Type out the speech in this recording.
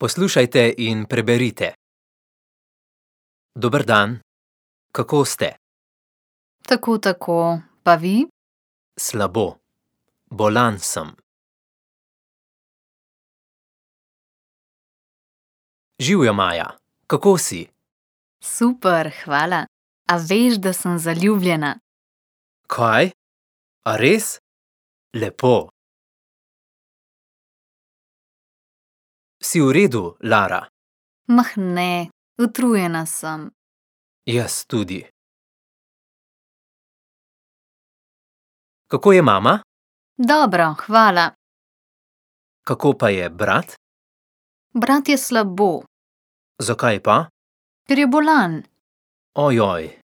Poslušajte in preberite. Dober dan, kako ste? Tako, pa vi? Slabo. Bolan sem. Živjo, Maja, kako si? Super, hvala. A veš, da sem zaljubljena? Kaj? A res? Lepo. Si v redu, Lara? Mah ne, utrujena sem. Jaz tudi. Kako je mama? Dobro, hvala. Kako pa je brat? Brat je slabo, Zakaj pa? ker je bolan. Ojoj.